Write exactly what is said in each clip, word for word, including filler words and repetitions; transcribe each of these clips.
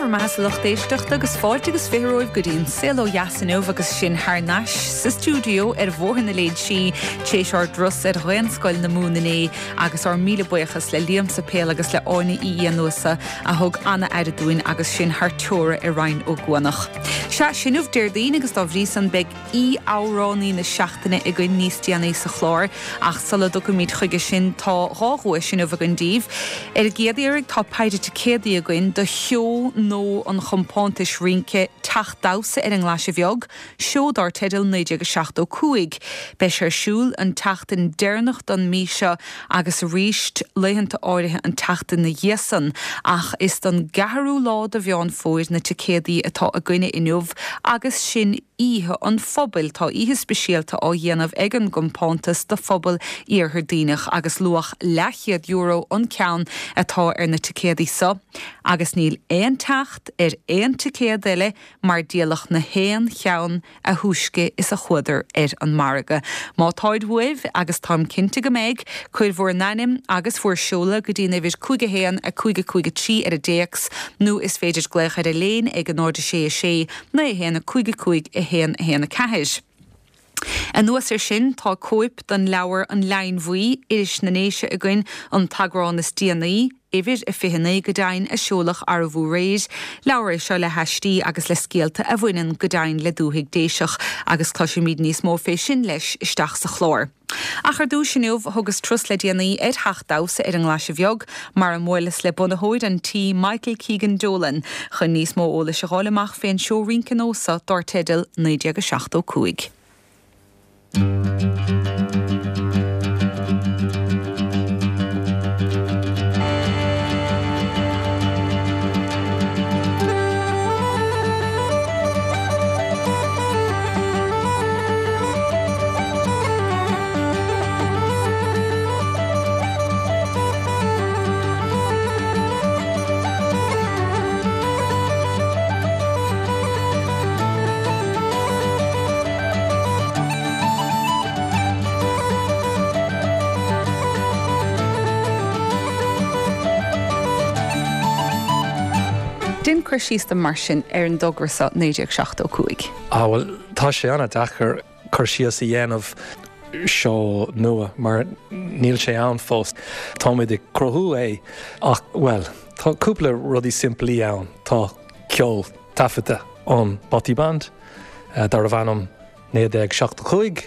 bhur mbeatha a lucht éisteachta agus fáilte agus fiche romhaibh go dtí an Saol Ó Dheas inniu agus sinn thar n-ais sa stiúideo ar Bhóthar na Léidsí tar éis ár dturas ar Ghaelscoil na Mumhan inné agus ár míle buíochas le Liam Sapéal agus le Áine Uí Fhiannúsa a thug an-aire dúinn agus sinn thar teora i Rinn Ó gCuanach. Sea sin inniu Déardaoin agus dá bhrí san beidh aoi-amhránaí na seachtaine againn níos déanaí sa chlár ach sula dtiocfaimid chuige sin tá dhá dhuais inniu againn daoibh. Ar an gcéad iarraidh tá péire ticéadaí againn do sheó nua an chompántais rince Teach Damhsa ar an nGlaise Bheag, seó dar teideal naoi déag seachtó cúig. Beidh sé ar siúl an tseachtain deireanach den mí seo agus arís laethanta áirithe an tseachtain na dhiaidh san, ach is don gceathrú lá de Mheán Fómhair na ticéadaí atá againne inniu agus sin oíche an phobail tá oíche speisialta á dhéanamh ag an gcompántas do phobal Iarthar Duibhneach agus luach leathchéad euro an ceann atá ar na ticéadaí seo, agus níl aon teacht ar aon ticéad eile mar díoladh na haon cheann a thúisce is a chuadar ar an margadh. Má táid uaibh agus táim cinnte go mbeidh, cuir bhur n-ainm agus bhur seoladh go dtí an uimhir cúig a haon a cúig a cúig a trí ar an dtéacs nó is féidir glaoch ar an líne ag a náid a sé a sé naoi a haon a cúig a cúig a haon a haon a ceathair. Anuas ar sin tá cóip den leabhar an Leidhinn Bhuí Iris na nDéise againn an t-eagrán is déanaí, uimhir a fiche naoi go deimhin a seoladh arbhú réir, leabhar é seo le haistí agus le scéalta a bhaineann go deimhin le dúthaigh Déiseach agus cloisfimid níos mó fé sin leis isteach sa chlár. Ach ar dtús inniu thugas turas le déanaí ar theach damhsa ar an nGlaise Bheag mar a mbuaileas le bunaitheoir an tí Michael Keegan Dolan chun níos mó eolais a fháil amach fén seó rince nua seo dar teideal naoi déag a seachtó cúig. Déan cur síos dom mar sin ar an dtogra seo naoi déag seachtó cúig. Ah bhuel tá sé an-deacair cur síos a dhéanamh seó nua mar níl sé ann fós. Táimid ag cruthú é ach well tá cúpla rudaí simplí ann tá ceol taifeadta ón Bothy Band uh, darbh ainm naoi déag seachtó cúig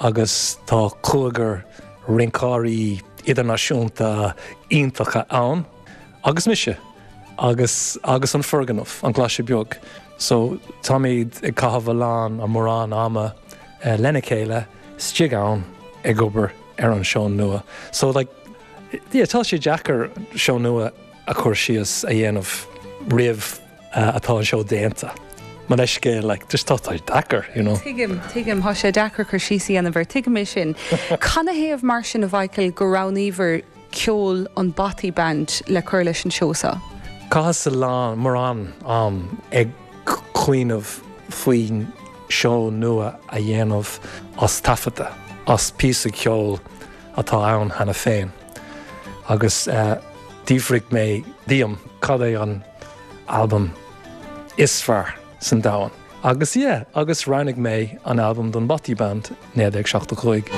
agus tá cúigear rinceoirí idirnáisiúnta iontacha ann agus mise agus agus an foirgneamh an Ghlaise Beag. So táimid ag caitheamh a lán a mórán ama uh, lena chéile istigh ann ag obair ar an seó nua. So like, yeah, tá sé deacair seó nua a chur síos a dhéanamh roimh uh, atá an seó déanta. Mar leis like, just tá tá deacair, you know. Tuigim, tuigim tá sé deacair cur síos a dhéanamh air tuigim é sin. Canathaobh mar sin a Mhichael gur roghnaíobhair ceol an Bothy Band le cur leis an seó seo? Chaitheas a lán mórán am ag cuimhneamh faoin seó nua a dhéanamh as taifeadta, as píosa ceoil atá ann cheana féin. Agus uh, d'fhiafraigh mé díom cad é an album is fearr san domhan. Agus yeah, agus roghnaigh mé an album don Bothy Band naoi déag seachtó cúig.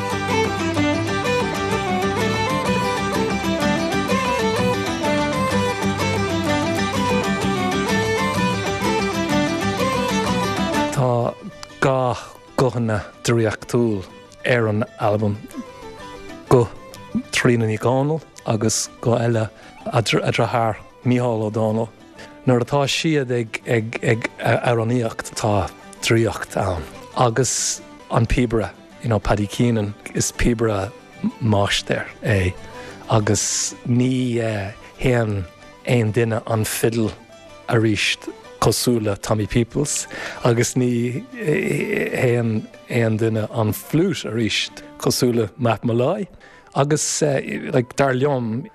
Tá dhá guthanna draíochtúil ar an album guth Tríona Ní Dhomhnaill agus guth eile a deartháir Mícheál Ó Domhnaill. Nuair atá siad ag ag ag amhránaíocht tá draíocht ann. Agus an píobaire, you know, Paddy Keenan is píobaire máistir é agus ní uh, sheinneann aon duine an fiddle arís cosúil le Tommy Peoples agus ní sheinneann aon duine an flute arís cosúil le Matt Molloy. Agus uh, like, dar liom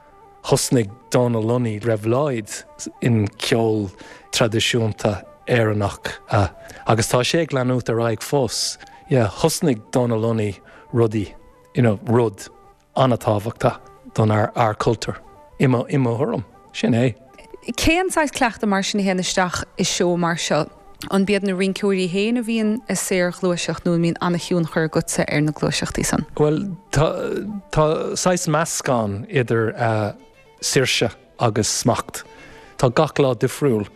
thosnaigh Donal Lunny réabhlóid in ceol traidisiúnta Éireannach uh, agus tá sé ag leanúint ar aghaidh fós. Yeah, thosnaigh Donal Lunny rudaí you know, rud an-tábhachtach don ár ár cultúr. I mo i mo thuairim sin é. Cén saghas cleachtadh mar sin a théann isteach i seó mar seo? An iad na rinceoirí féin a bhíonn i saorghluaiseacht nó mbíonn an-tionchar agatsa ar na gluaiseachtaí san? Well tá tá saghas meascán idir uh, saoirse agus smacht. Tá gach lá difriúil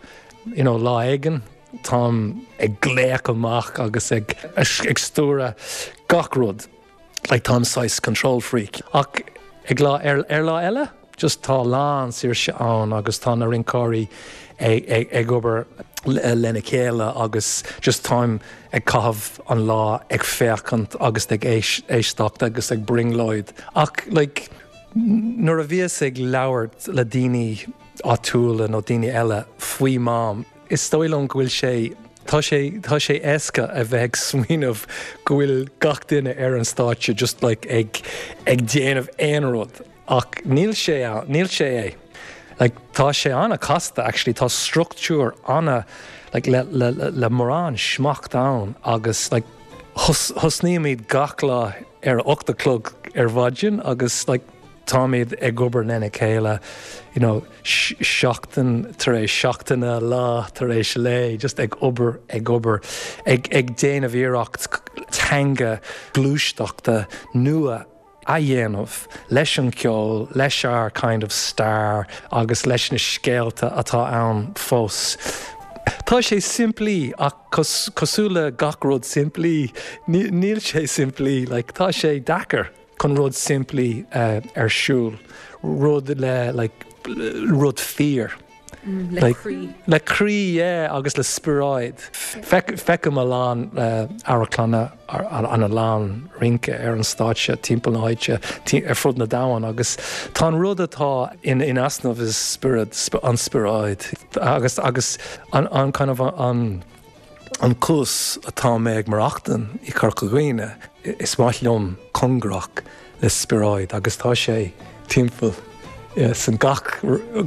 you know, lá éigin táim ag glaoch amach agus ag ag stiúradh gach rud. Like táim saghas control freak. Ach ag lá ar, ar lá eile, just tá lán saoirse ann agus tá na rinceoirí ag, ag, ag obair lena chéile agus just táim ag caitheamh an lá ag féachaint agus ag éisteacht agus ag brionglóid. Ach like, nuair a bhíos ag labhairt le daoine áitiúla nó daoine eile faoi Mám, is dóigh liom go bhfuil sé Tá sé tá sé éasca a bheith ag smaoineamh go bhfuil gach duine ar an stáitse just like ag ag déanamh aon rud ach níl sé níl sé é. Like, tá sé an-chasta actually tá struchtúr ana like, le, le, le, le mórán smacht ann agus like, thosnaímid gach lá ar ocht a chlog ar maidin agus like, táimid ag obair lena chéile you know, seachtain tar éis seachtaine lá tar éis lae, just ag obair ag obair ag, ag déanamh iarracht teanga gluaisteachta nua a dhéanamh leis an ceol, leis ár kind of stair agus leis na scéalta atá ann fós. Tá sé simplí ach cosúil le gach rud simplí, níl sé simplí, like, tá sé deacair chun rud simplí uh, ar siúl, rud le like, rud fíor. Mm, le like, croí. Le croí yeah, agus le spiorad. Feicim a lán uh, amharclanna an a lán rince ar an stáitse timpeall na háite ar fud na domhan agus tá an rud atá in in easnamh is spiorad an spiorad agus agus an, an kind of an an cúis atá mé ag maireachtaint i Corca Dhuibhne is maith liom cóngarach le spiorad agus tá sé timpeall yeah, san gach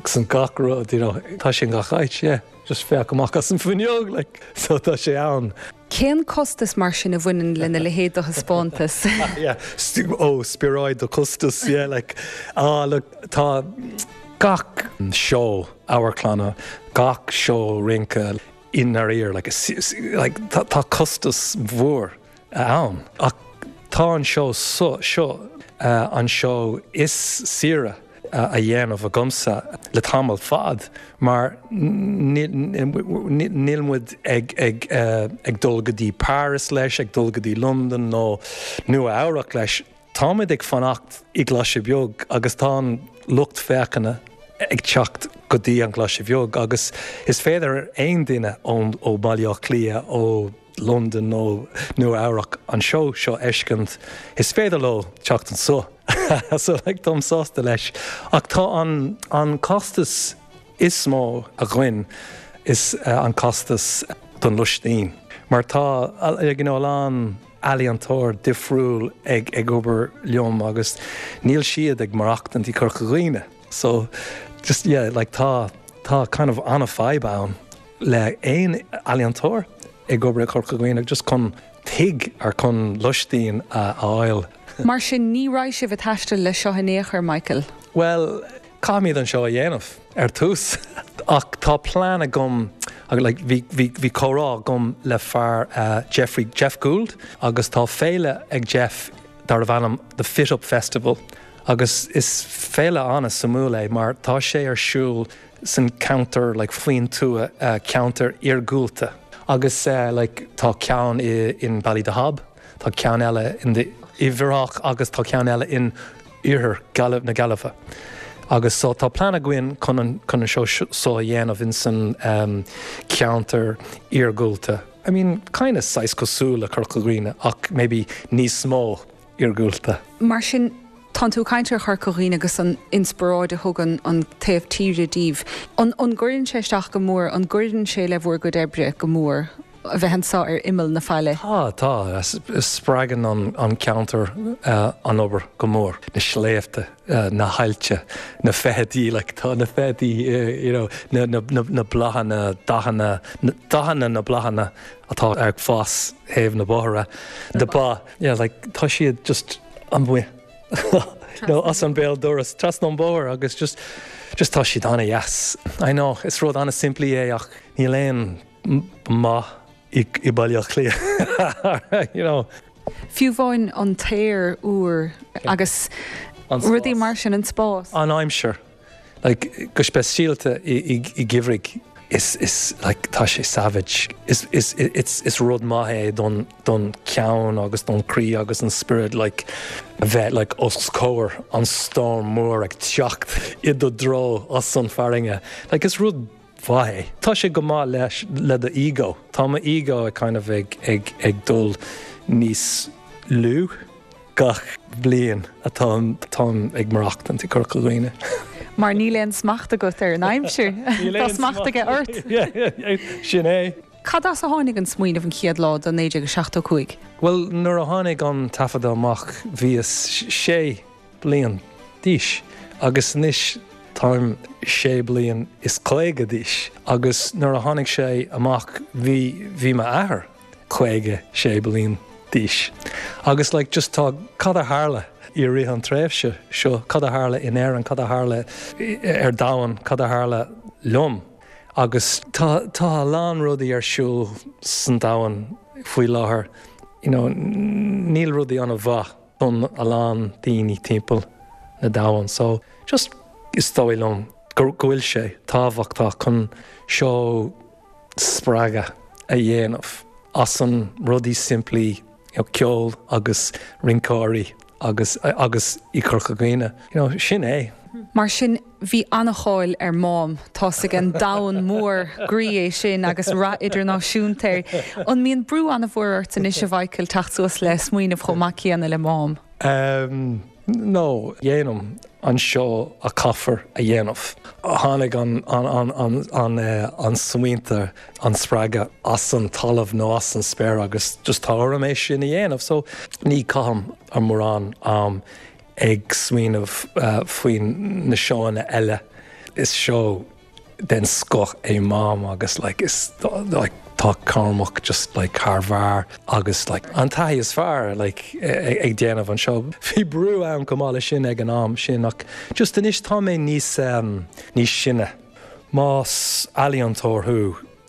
san gach rud you know, tá sé gach áit yeah. just féach amach as an bhfuinneog like, so tá sé ann. Cén costas mar sin a bhaineann lena leithéid de thaispeántas? yeah. ó spiorad do costas yeah, like, ah, look, tá gach seó amharclainne, gach seó rince in ar like, like, tá, tá costas mhór ann ach tá an seó so, seo uh, an seó is saoire a dhéanamh agamsa le tamall fad mar níl muid ag, ag, uh, ag dul go dtí Paris leis, ag dul go dtí London nó Nua Eabhrac leis. Táimid ag fanacht i Glaise Bheag agus tá an lucht féachana ag teacht go dtí an Glaise Bheag agus is féidir aon duine ón ó Baile Átha Cliath ó London nó Nua Eabhrac an seó seo a fheiscint is féidir leo teacht anseo. so like, táim sásta leis. Ach tá an, an costas is mó a ghain is uh, an costas don lóistín. Mar tá ag you know, lán ealaíontóir difriúil ag ag obair liom agus níl siad ag maireachtaint i Corca Dhuibhne. So just yeah, like tá tá kind of an-fhadhb ann le aon ealaíontóir ag obair i Corca Dhuibhne just chun tigh ar chun lóistín a fháil. Mar sin ní raibh sibh ag taisteal le seo in aon chor Michael. Well, caithfimid an seó a dhéanamh ar tús ach tá plean agam like, bhí, bhí, bhí comhrá agam le fear uh, Jeffrey Jeff Gould agus tá féile ag Jeff darbh ainm the Fit Up Festival agus is féile an-suimiúil é mar tá sé ar siúl san ceantar like, faoin tuath uh, ceantar iargúlta agus uh, like, tá ceann i, in Ballydehob, tá ceann eile in the Uíbh agus tá ceann eile in iarthar Gaillimh na Gaillimhe. Agus so tá plean againn chun an chun an seó so a dhéanamh in san um, ceantar iargúlta. I mean, kind of saghas cosúil le Corca Dhuibhne ach maybe níos mó iargúlta. Mar sin tá tú ag caint ar Chorca Dhuibhne agus an inspioráid a thugann an taobh tíre daoibh. An an gcuireann sé isteach go mór an gcuireann sé le bhur gcuid oibre go mór a bheith anseo ar imeall na faille. Tá tá spreagann an, an ceantar uh, an obair go mór na sléibhte uh, na haillte na feithidí like, tá na feithidí uh, you know, na, na, na, na bláthanna dathanna na, dathanna na bláthanna atá ag fás thaobh na bóithre de ba yeah, like, tá siad just amuigh no as an béal doras trasna an bóthar agus just just tá siad an-deas. I know, is rud an-simplí é ach níl aon maith i i Baile Átha Cliath. you know. Fiú amháin an t-aer úr agus rudaí mar sin an spás. An aimsir. Like, go speisialta i, i, i ngeimhreadh is, is like, tá sé savage. Is, is, it's, is rud maith é don, don ceann agus don croí agus an spiorad like, a bheith like, os comhair an storm mór ag teacht i do dtreo as an farraige. Like, is rud mhaith é. Tá sé go maith leis le do ego. Tá mo ego ag kind of ag, ag, ag dul níos lú gach bliain atá táim ag maireachtaint i Corca Dhuibhne. Mar níl aon smacht agat ar an aimsir. Tá smacht aige ort. Sin é. Cad as a tháinig an smaoineamh an chéad lá do naoi déag seachtó cúig? Well, nuair a tháinig an taifeadadh amach bhíos sé bliain d'aois agus anois táim sé bliain is caoga d'aois agus nuair a tháinig sé amach bhí bhí m'athair caoga sé bliain d'aois. Agus like, just tá cad a tharla i rith an tréimhse seo cad a tharla in Éirinn, cad a tharla ar domhan, cad a tharla liom. Agus tá tá a lán rudaí ar siúl san domhan faoi láthair. You know, níl rudaí an-mhaith don a lán daoine timpeall na domhan. So just is dóigh liom go bhfuil sé tábhachtach chun seo spreagadh a dhéanamh as an rudaí simplí you know, ceol agus rinceoirí agus agus i Corca Dhuibhne. You know, sin é. Mar sin bhí an-cháil ar Mám tá ag an domhan mór groí é sin agus rath idirnáisiúnta air. An mbíonn brú an-mhór ort anois a Mhichael teacht suas le smaoineamh chomh maith céanna le Mám? Um, no, dhéanaim an seó a caithfear a dhéanamh. Tháinig an, an, an, an, an, uh, an smaointe an spreagadh as an talamh nó as an spéir agus just tá orm é sin a dhéanamh, so ní chaithim an mórán am ag smaoineamh uh, faoin na seóanna eile. Is seó den scoth é Mám agus like, is like, tá Cormac just like thar barr agus like, an taithí is fearr like, ag déanamh an seó. Bhí brú ann go maith sin ag an am sin ach just anois tá mé níos um, níos sine. Más ealaíontóir thú,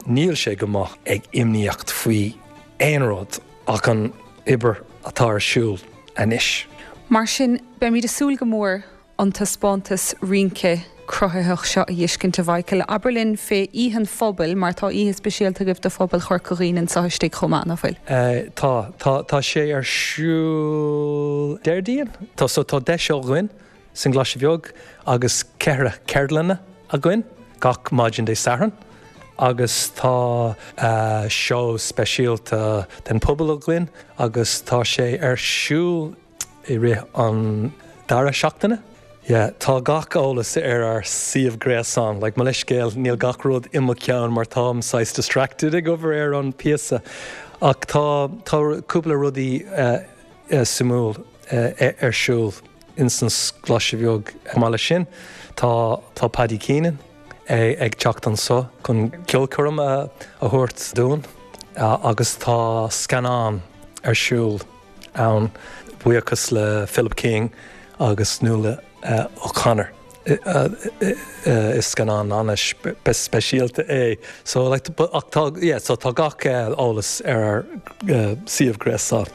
níl sé go maith ag imníocht faoi aon rud ach an obair atá ar siúl anois. Mar sin beimid ag súil go mór an taispeántas rince cruthaitheach seo a fheiscint a Mhichael. Abair linn fé Oíche an Phobail mar tá oíche speisialta agaibh do phobal Chorca Dhuibhne anseo istigh chomh maith nach bhfuil. Uh, tá tá tá sé ar siúl Déardaoin Tá so tá deich seó againn san Ghlaise Bheag agus ceithre ceardlanna againn gach maidin Dé Sathairn agus tá uh, seó speisialta den pobal againn agus tá sé ar siúl i rith an dara seachtaine. Yeah, tá gach eolas ar ár suíomh gréasáin, like, mo leithscéal níl gach rud i mo cheann mar táim saghas distracted ag obair ar an píosa. Ach tá tá cúpla rudaí uh, uh, suimiúil uh, ar siúl in san Ghlaise Bheag maith sin. Tá tá Paddy Keenan ag, ag teacht anseo chun ceolchoirm a, a thabhairt dúinn uh, agus tá scannán ar siúl ann buíochas le Philip King agus Nuala uh, O'Connor. Uh, uh, is scannán an-speisialta é. So like, ach tá, yeah, so tá gach eolas ar ár uh, suíomh gréasáin.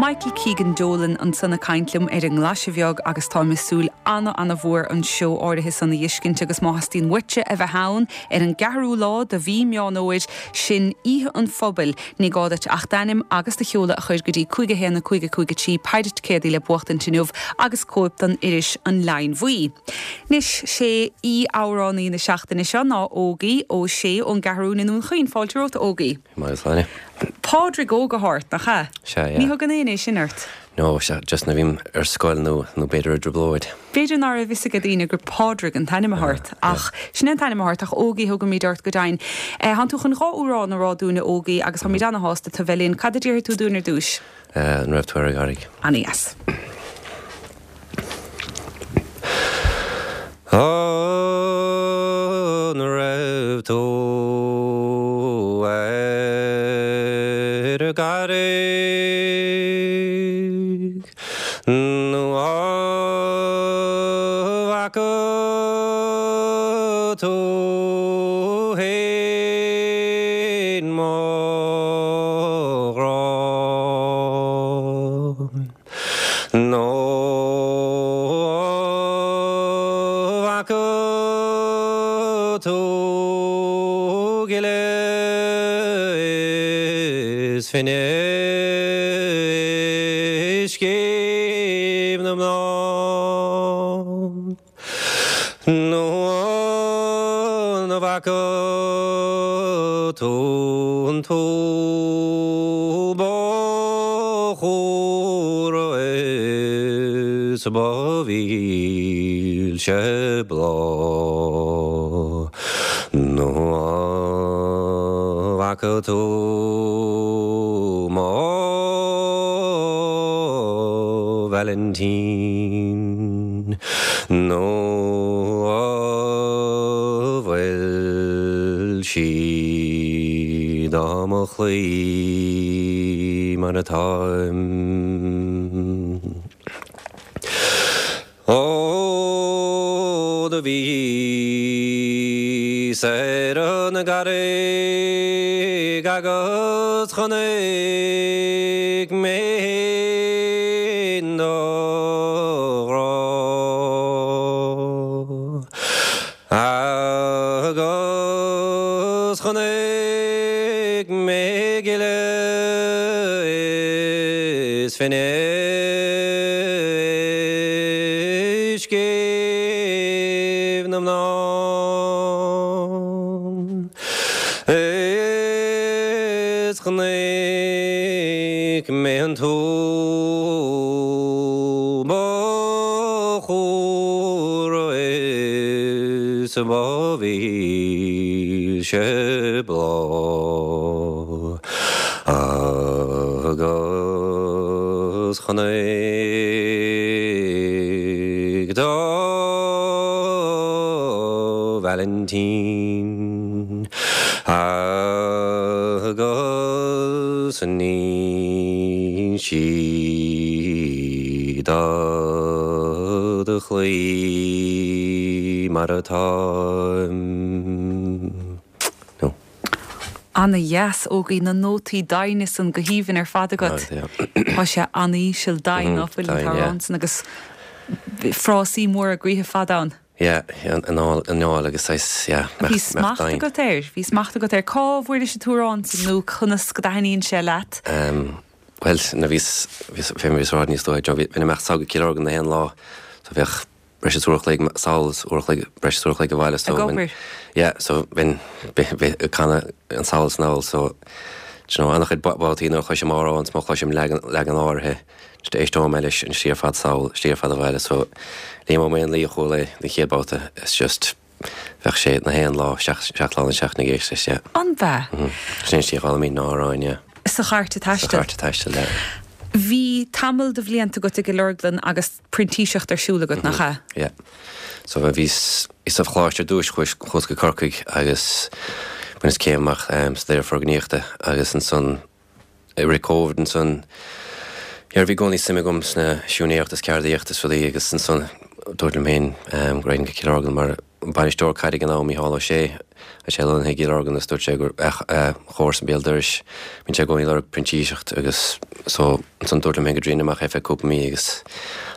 Michael Keegan Dolan ansan ag caint liom ar an nGlaise Bheag agus tá súil ana ana-mhór an seó áirithe san a fheiscint agus má theastaíonn uaitse a bheith ann ar an gceathrú lá de mhí Meán Fómhair sin Oíche an Phobail ní gá duit ach d'ainm agus do sheoladh a chur go dtí cúig a haon a cúig a cúig a trí péire ticéadaí le buachtaint inniu agus cóip den iris an Leann Bhuí. Anois sé aoi-amhránaí na seachtaine seo ná Ógie Ó Sé ón gCeathrú i nDún Chaoin fáilte romhat Ógie. Mar Pádraig Óg atá ort nach ea? Sea, yeah. Ní thugann éinne sin ort. No, sea, just nuair a bhím ar scoil nó nó b'fhéidir i dtrioblóid. B'fhéidir nach raibh a fhios ag daoine gur Pádraig an t-ainm atá ort ach sin an t-ainm atá ort ach Ógie thugaimid ort go deimhin. Eh, Tánn tú chun dhá amhrán a rá dúinn Ógie agus táimid ana-shásta tú bheith linn cad a déarfaidh tú dúinn ar dtús. Uh, an raibh tú ar an gCarraig. Ana-dheas. An raibh tú ar an gCarraig mo ghrá Nó bhfaca tú gile is finne scéimh na mná Nó an bhfaca tú an t-úll ba chumhra is ba mhilse bláth Nó an bhfaca tú mo Vailintín Nó an bhfuil sí do mo chloí mar atáim Ó do bhíos ar an gCarraig agus chonaic mé féin do ghrá Agus chonaic mé gile is finne scéimh na mná Is chonaic mé an t-úll ba chumhra is ba mhilse bláth Agus chonaic do Vailintín agus níl sí do do chloí mar atáim. No. Ana-dheas Ógie na nótaí doimhne san go haoibhinn ar fad agat. Tá sé an-íseal doimhin ná fuil an t-amhrán san agus frásaí móra gaoithe fada ann. Yeah, an anáil agus saghas, yeah. Bhí smacht agat air, bhí smacht agat air. Cá bhfuair an t-amhrán san nó conas go dtaitníonn sé leat? Um, well, na bhís fé bhís rád níos dóigh, bhí imeacht sall go Cill Lorgan na haon lá, so bheadh breis is uair a chloig sall uair a chloig breis is uair a chloig abhaile so Ag obair. Yeah, so bhí'n ag canadh an sall is anall so you know, an-chuid babhtaí nuair a chloisim amhrán má chloisim leagan leagan áirithe just éisteoidh mé leis an slí ar fad sall slí ar fad abhaile so Liam Ó Maonlaí a chuala é den chéad babhta it's just bheadh sé na haon lá seacht seacht lá na seachtaine ag éisteacht leis yeah. An bea? Mm. Sin slí a dh'fhoghlaimím na hamhráin yeah. Sa chárta taistil. Sa chárta taistil yeah. Bhí tamall de bhlianta agat i gCill Orglan agus printíseacht ar siúl agat, nach ea? Yeah. So bhíos sa choláiste ar dtús chuas chuas go Corcaigh agus bhaineas céim amach um, sa dearadh foirgníochta agus ansan i rith Covid ansan yeah, bhí i gcónaí suim agam sna siúinéireacht is ceardaíocht is rudaí agus ansan dúirt liom féin um, go raghainn go Cill Orglan mar bainisteoir caide ag an am Mícheál Ó Sé a sé lonnaithe i gCill Orglan agus dúirt sé gur chomharsa béal dorais bíonn sé i gcónaí ag lorg printíseacht agus so ansan dúirt liom féin go dtriailfinn amach é feadh cúpla mí agus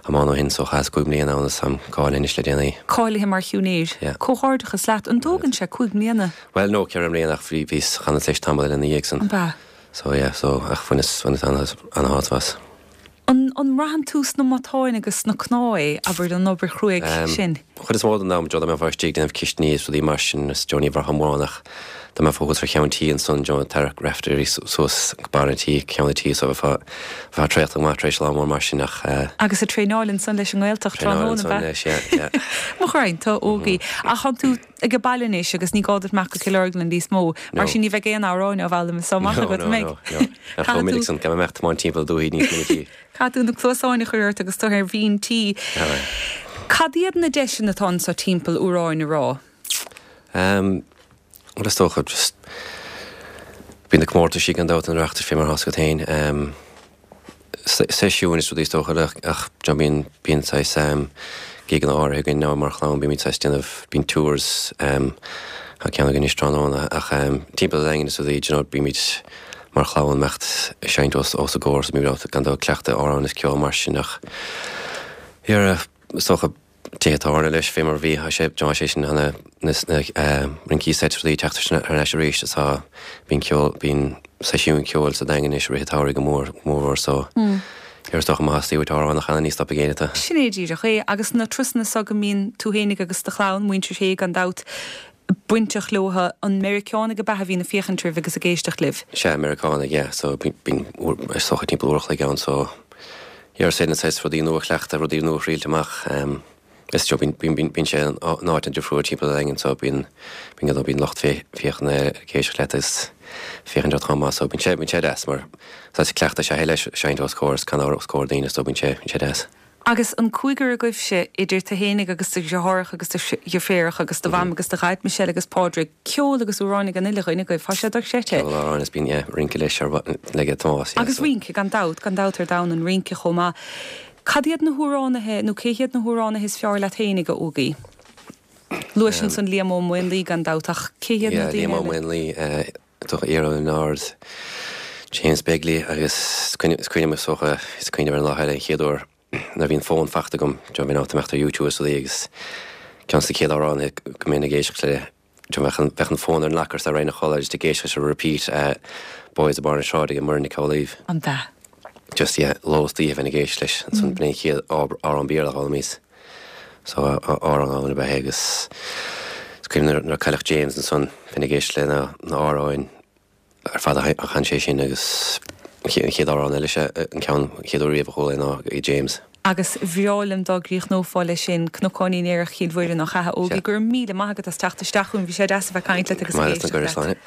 am ann ó shin so chaitheas cúig mbliana ann agus táim cáilithe anois le déanaí. Cáilithe mar shiúinéir. Yeah. Comhghairdeachas leat, an dtógann sé cúig mbliana? Well no ceithre mbliana ach bhí bhíos chaitheas leis tamall eile ina dhiaidh san. An bea? So yeah, so ach bhaineas bhaineas ana-shásamh as. An an mbraitheann tú sna matáin agus sna cnámha é, abair an obair chruaidh sin? Chuid is mó den am, Joe, dá mbeifeá istigh ag déanamh cistiní is rudaí mar sin is Joe ní bhraithfeá mórán ach dá mbeifeá thuas ar cheann tí ansan Joe ag tarrac raifteirí suas go barr an tí, ceann an tí so bheifeá bheifeá traochta go maith tar éis lá mór mar sin ach eh. Agus ag traenáil ansan leis an nGaeltacht Traenáil tráthnóna, ansan bheith? leis, yeah, yeah. Mo ghraidhin, tá Ógie. Ach tánn tú ag baile anois agus ní gá duit imeacht go Cill Orglan níos mó, mar No. sin ní bheidh aon amhráin á bhfoghlaim is amach No, agat, no, mbeidh? no, no. Nach chomh minic san, gan imeacht tiomáint timpeall dúthaigh níos minicí. Caithfidh tú na cluasáin a chur ort agus tú ar mhín tí. Aye. Cad iad na deiseanna atá anseo timpeall amhráin a rá? Um, well, is dócha just bíonn na comórtaisí gan dabht an Oireachtas fé mar atá agat féin. Um, seisiúin is rudaí is dócha ach, ach John bíonn bíonn saghas um, gigeanna áirithe againn ná mar chlann bímid saghas déanamh bíonn tours um, Tá ceann againn anois tráthnóna ach timpeall an Daingin is rudaí, you know, bímid mar chlann imeacht ag seinnt os os a gcomhair so bímid gan dabht ag cleachtadh amhráin is ceol mar sin ach yeah, is dócha tithe tábhairne leis fé mar bhí tá sé tá sé sin na na rincí seit rudaí teacht ar ais arís is tá bíonn ceol bíonn seisiúin ceoil sa Daingean anois i rith an tsamhraidh go mór mórmhór so ar is dócha má theastaíonn uait amhrán a chanadh ní stopfaidh éinne tú. Sin é díreach é agus na turasanna so go mbíonn tú fhéinig agus do chlann, muintir Shé gan dabht, bainteach leo, an Meiriceánaigh ab ea a bhíonn ag féachaint oraibh agus ag éisteacht libh? Sea, Meiriceánaigh, yeah, so bíonn is dócha timpeall uair a chloig ann so yeah is é na saghas rudaí nua a chleachtadh, rudaí nua a thriailt amach um, is so bíonn bíonn bíonn sé in áit an-difriúil timpeall an Daingin so bíonn bíonn bíonn lucht féachana ag éisteacht leat is féachaint ort chomh maith so bíonn sé bíonn sé deas mar saghas cleachtadh is ea é leis seinnt os comhair is canadh os comhair daoine so bíonn sé bíonn sé deas. Agus an cúigear agaibhse, idir tú fhéinig agus do dheartháireacha agus do dheirféaracha agus do mham agus do dhaid, Michelle agus Pádraig, ceol agus amhráin ag an uile dhuine agaibh, tá sé dochreidte. Ceol amhráin is bíonn, yeah, rince leis ar le Tomás, yeah. Agus rince, gan dabht, gan dabht ar domhan an rince chomh maith. Cad iad na hamhránaithe, nó cé hiad na hamhránaithe is fearr leat fhéinig, a Ógie? Luais ansan Liam Ó Maonlaí gan dabht, ach cé hiad na daoine eile? Yeah, Liam Ó Maonlaí, is dócha Iarla Ó Lionáird, James Begley agus is cuimhin liom is dócha, is cuimhin liom ar an lá eile an chéad uair nuair a bhí an fón faighte agam, do bhí an imeacht ar YouTube is rudaí agus ceann de na chéad amhráin go mbeinn ag éisteacht le, do bheadh an, bheadh an fón ar an locker sa roinn a chodladh just ag éisteacht leis ar repeat Boys of Barr na Sráide ag Muireann Nic Amhlaoibh. An ea? Just yeah, lá is oíche bheinn ag éisteacht leis, ansan b'in é an chéad amhrán Béarla a d'fhoghlaimíos. So amhrán álainn ab ea é agus is cuimhin nuair a cailleadh James ansan bheinn ag éisteacht le na na hamhráin ar fad a chan sé sin agus an chéad amhrán eile sea an ceann an chéad uair riamh a chuala é ná ag James. Agus bhreá liom dá gcríochnófá leis sin, Cnocáinín Aerach Chill Mhuire nach ea, a Ógie, go raibh míle maith agat as teacht isteach chugainn, bhí sé deas a bheith ag caint leat agus ag éisteacht leat.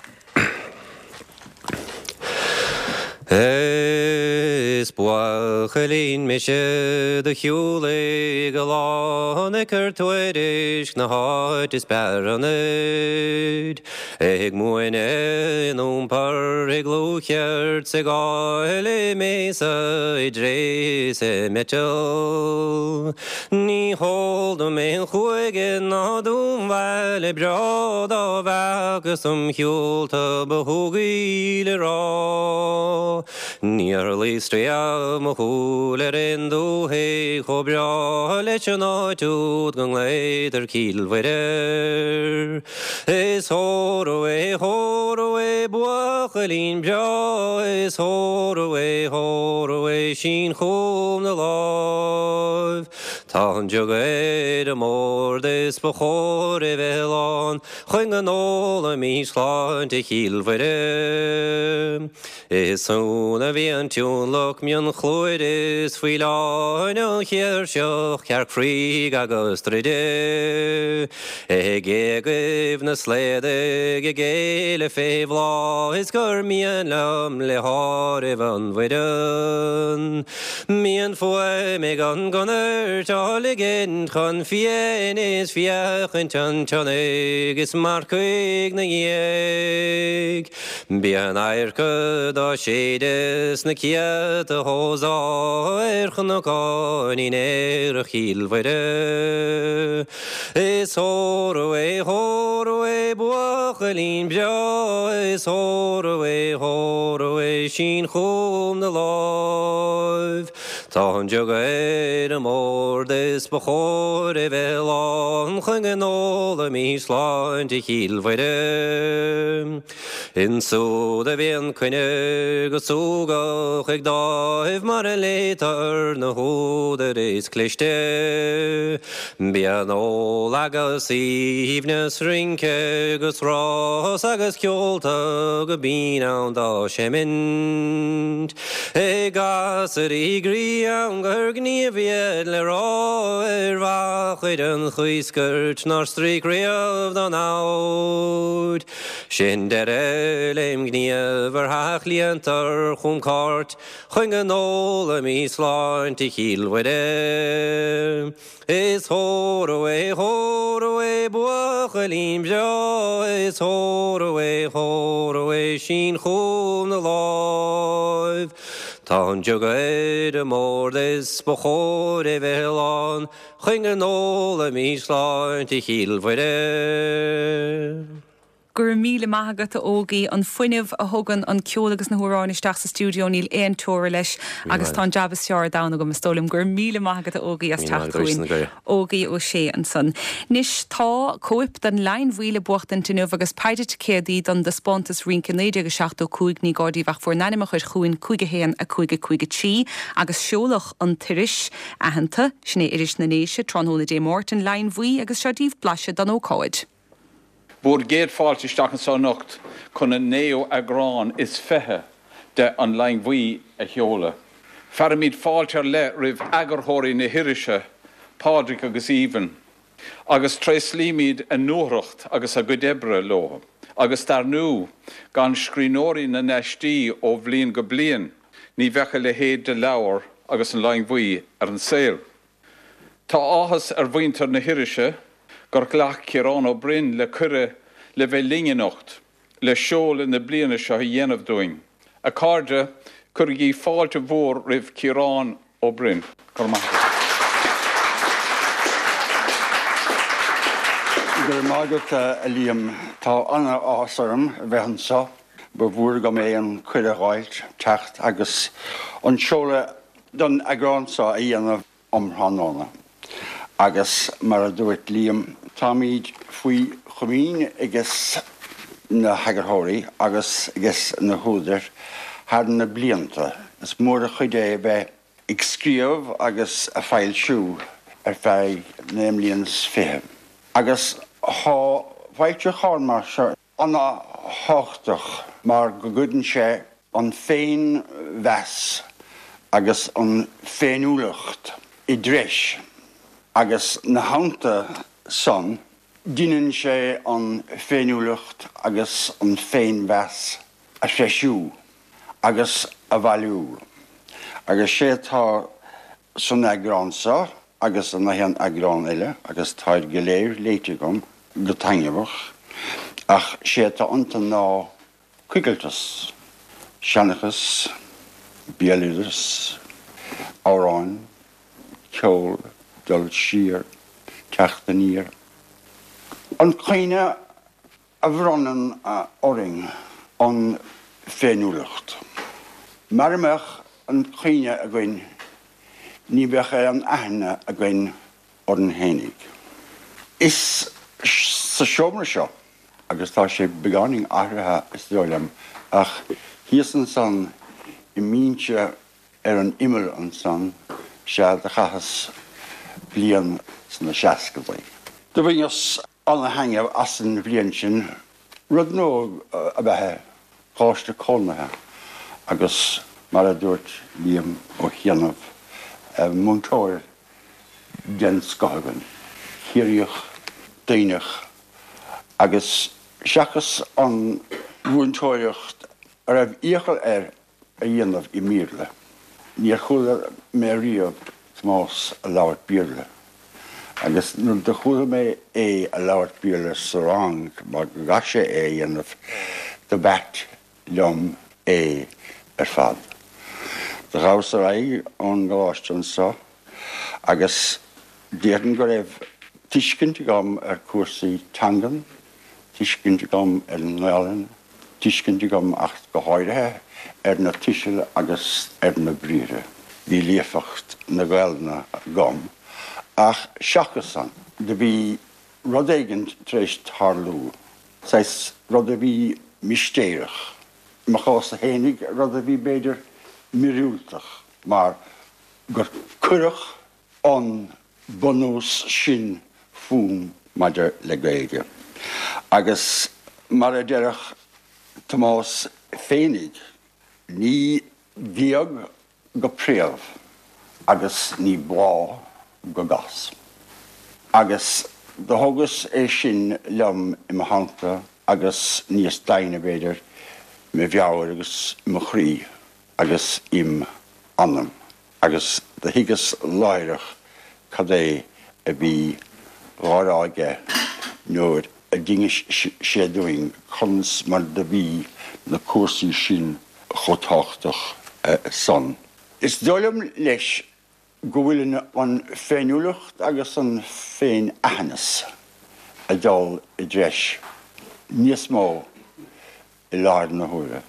Is buachaillín mise do shiúlaigh a lán ag cur tuairisc na háit is b'fhearr ionaid. Ag múineadh in iompar i dlúthcheird 's ag fáil i mbéasa i dtréith 's i miotal. Ní heol dom aon chúige ná dúnbhaile breá dá bhfeacas im shiúlta ba shúgaí le rá. Níor luigh riamh mo shúil ar aon dúthaigh chomh breá leis an áit úd go nglaotar Cill Mhuire. Is óró é, óró é, buachaillín breá, is óró é, óró é, sín chugam do láimh. Tá an jug ar an mbord is ba chóir é bheith lán chun go n-ólaimís sláinte Chill Mhuire. Is ann a bhí an t-uanlach mionchluaid is faoileáin, an chéirseach, cearc fraoigh agus druide. Ag géagaibh na slaodaigh ag éile fé bhláth is gur mian liom le háireamh an bhfoireann. Bíonn fuaim ag an gconairt á ligint chun fiain is féachaint an tsionnaigh is marcaigh 'na dhiaidh. Bíonn adharca dá séideadh sna céadta hósá ar chnocáinín aerach Chill Mhuire. Is óró é, óró é, buachaillín breá, is óró é, óró é, sín chugam do láimh. Tá an jug ar an mbord is ba chóir é bheith lán chun go n-ólaimís sláinte Chill Mhuire. Insúd a bhíonn coinne go súgach ag dáimh mar a léitear na húdair is cliste. Bíonn ól agus aoibhneas, rince 'gus rás agus ceolta go binn ann dá seimint. Ag gasraí groí ann gur gníomh iad le rá ar mhachaire an Chuiscirt nár stríoc riamh dá namhaid. Sin deireadh lem ghníomh ar theach líontar chugam cairt chun go n-ólaimís sláinte Chill Mhuire. Is óró é, óró é, buachaillín breá, is óró é, óró é, sín chugam do láimh. Tá an jug ar an mbord is ba chóir é bheith lán chun go n-ólaimís sláinte Chill Mhuire. Go raibh míle maith agat a Ógie an fuinneamh a thugann an ceol agus na hamhráin isteach sa stiúideo níl aon teora leis agus tá an jab is fearr ar domhan agam is dóigh liom go raibh míle maith agat a Ógie as teacht chugainn. Ógie Ó Sé ansan. Anois tá cóip den Leidhinn Bhuí le buachtaint inniu agus paide ticéadaí don taispeántas rince naoi déag seachtó cúig ní gá daoibh ach bhur n-ainm a chur chugainn cúig a haon a cúig a cúig a trí agus seoladh an iris aitheanta sin é iris na nDéise tráthnóna Dé Máirt an Leidhinn Bhuí agus seo daoibh blaiseadh den ócáid. Bhur gcéad fáilte isteach anseo anocht chun an naoú eagrán is fiche de An Leidhinn Bhuí a sheoladh. Fearaimid fáilte ar leith roimh eagarthóirí na hirise, Pádraig agus Aoibhinn, agus tréaslaímid a ndúthracht agus a gcuid oibre leo, agus dar ndóigh, gan scríbhneoirí na n-aistí ó bhliain go bliain, ní bheadh a leithéid de leabhar agus An Leidhinn Bhuí ar an saol. Tá áthas ar mhuintir na hirise gur ghlac Ciarán Ó Broin le cuireadh le bheith linn anocht, le seoladh na bliana seo a dhéanamh dúinn. A chairde, cuirigí fáilte mhór roimh Chiarán Ó Broin. Go raibh maith agat. Go raibh maith agat, a Liam. Tá an-áthas orm a bheith anseo. Ba mhór agam é an cuireadh a dh'fháilt teacht agus an seoladh don eagrán seo a dhéanamh um thráthnóna. Agus mar a dúirt Liam, táimid faoi chomaoin ages na heagarthóirí agus ages na húdair thar na blianta. Is mór an chuid é bheith ag scríobh agus a foilsiú ar feadh naoi mbliana is fiche. Agus tá foilseachán mar seo ana-thábhachtach mar go gcuireann sé an féinmheas agus an féiniúlacht i dtreis agus 'na theannta san deineann sé an féiniúlacht agus an féinmheas a threisiú agus a bhailiú. Agus sé atá san eagrán seo agus in aon eagrán eile, agus táid go léir léite agam go taitneamhach, ach sé atá iontu ná coigilteas, seanchas, béaloideas, amhráin, ceol, dul siar, teacht aniar. An chuimhne a bhronnann orainn an féiniúlacht. Mara mbeadh an chuimhne againn ní bheadh aon aithne againn orainn fhéinig. Is sa seomra seo, agus tá sé beagáinín athraithe is dóigh liom, ach thíos ansan i mbinse ar an imeall ansan, sea do chaitheas bliain sna seascadaí. Do bhaineas ana-thaitneamh as an bhliain sin, rud nua ab ea é, coláiste cónaithe agus mar a dúirt Liam Ó chianaibh, múinteoir den scoth againn, Ciarraíoch, Duibhneach agus seachas an mhúinteoireacht a raibh iachall air a dhéanamh i mBéarla. Níor chuala mé riamh Tomás a labhairt Béarla agus nuair do chuala mé é a labhairt Béarla sa rang mar go gcaith sé é a dhéanamh do b'ait liom é ar fad. Do ghabhas ar aghaidh ón gcoláiste anso agus déarfainn go raibh tuiscint agam ar chúrsaí teangan, tuiscint agam ar an nGaelainn, tuiscint agam ach go háirithe ar na tuisil agus ar na briathra. Bhí líofacht na Gaelainne agam ach seachas san, do bhí rud éigin tar éis tarlú, saghas rud a bhí mistéireach, i mo chás-sa fhéinig, rud a bhí b'fhéidir míorúilteach mar gur cuireadh an bunús sin fúm maidir le Gaeilge. Agus mar a déarfadh Tomás féinig, ní géag go préamh agus ní bláth go gas. Agus do thógas é sin liom i mo theannta agus níos doimhne, b'fhéidir, i mo mheabhair agus i mo chroí agus im anam. Agus do thuigeas láithreach cad é a bhí dhá rá aige nuair a d'inis sé dúinn conas mar do bhí na cúrsaí sin chomh tábhachtach san. Is dóigh liom leis go bhfuil an féiniúlacht agus an féin-aitheantas ag dul i dtreis níos mó i láthair na huaire.